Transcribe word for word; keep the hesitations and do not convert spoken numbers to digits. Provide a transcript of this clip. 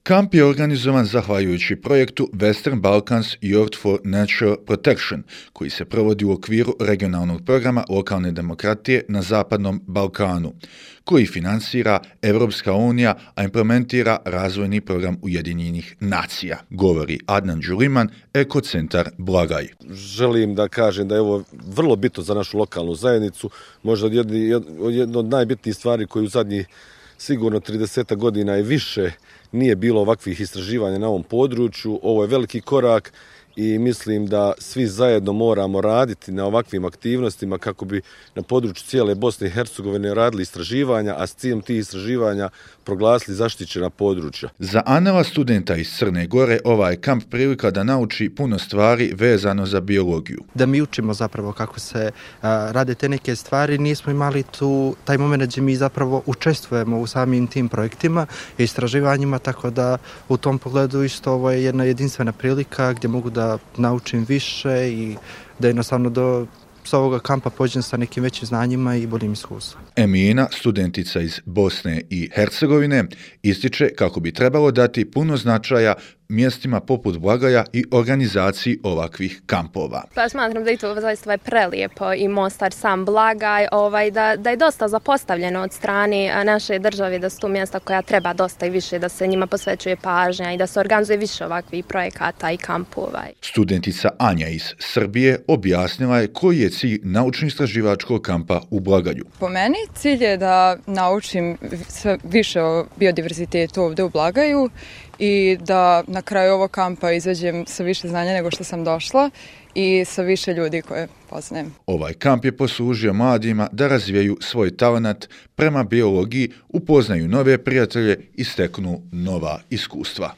Kamp je organizovan zahvaljujući projektu Western Balkans Youth for Natural Protection, koji se provodi u okviru regionalnog programa lokalne demokratije na Zapadnom Balkanu, koji finansira Evropska unija, a implementira razvojni program Ujedinjenih nacija, govori Adnan Đuliman, Ekocentar Blagaj. Želim da kažem da je ovo vrlo bitno za našu lokalnu zajednicu, možda jedno od najbitnijih stvari koju u zadnjih sigurno trideset godina i više nije bilo ovakvih istraživanja na ovom području. Ovo je veliki korak i mislim da svi zajedno moramo raditi na ovakvim aktivnostima kako bi na području cijele Bosne i Hercegovine radili istraživanja, a s ciljem tih istraživanja proglasili zaštićena područja. Za Anela, studenta iz Crne Gore, ovaj kamp prilika da nauči puno stvari vezano za biologiju. Da mi učimo zapravo kako se a, rade te neke stvari, nismo imali tu taj moment gdje mi zapravo učestvujemo u samim tim projektima i istraživanjima, tako da u tom pogledu isto ovo je jedna jedinstvena prilika gdje mogu da naučim više i da jednostavno do s ovoga kampa pođem sa nekim većim znanjima i boljim iskustvom. Emina, studentica iz Bosne i Hercegovine, ističe kako bi trebalo dati puno značaja mjestima poput Blagaja i organizaciji ovakvih kampova. Pa smatram da je to zaista ovaj prelijepo i Mostar, sam Blagaj, ovaj, da, da je dosta zapostavljeno od strane naše države, da su tu mjesta koja treba dosta i više, da se njima posvećuje pažnja i da se organizuje više ovakvih projekata i kampova. Studentica Anja iz Srbije objasnila je koji je cilj naučno-istraživačkog kampa u Blagaju. Po meni cilj je da naučim sve više o biodiverzitetu ovdje u Blagaju i da na kraju ovog kampa izađem sa više znanja nego što sam došla i sa više ljudi koje poznajem. Ovaj kamp je poslužio mladima da razvijaju svoj talenat prema biologiji, upoznaju nove prijatelje i steknu nova iskustva.